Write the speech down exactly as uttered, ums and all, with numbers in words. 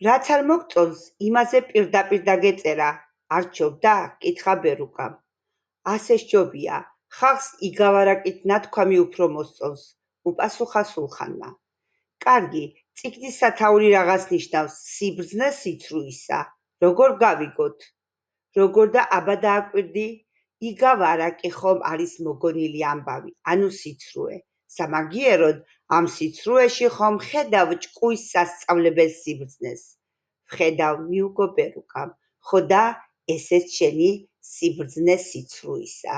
რაც არ მოგწონს, იმაზე პირდაპირ დაგეწერა. არჩევდა? კითხა ბერუკამ. ასე სჯობია, ხალხს იგავარაკით ნათქვამი უფრო მოსწონს, უპასუხა სულხანმა. კარგი, წიგნის სათაური რაღაც ნიშნავს, სიბრძნე სიცრუისა. როგორ გავიგოთ? როგორ და აბა დააკვირდი? იგავარაკი ხომ არის მოგონილი ამბავი, ანუ სიცრუე. სამაგიეროდ, ამ სიცრუეში ხომ ხედავ ჭკუის სასწავლებელ სიბრძნეს. ვხედავ, მიუგო ბერუკამ. ხო და ესეც შენი სიბრძნე სიცრუისა.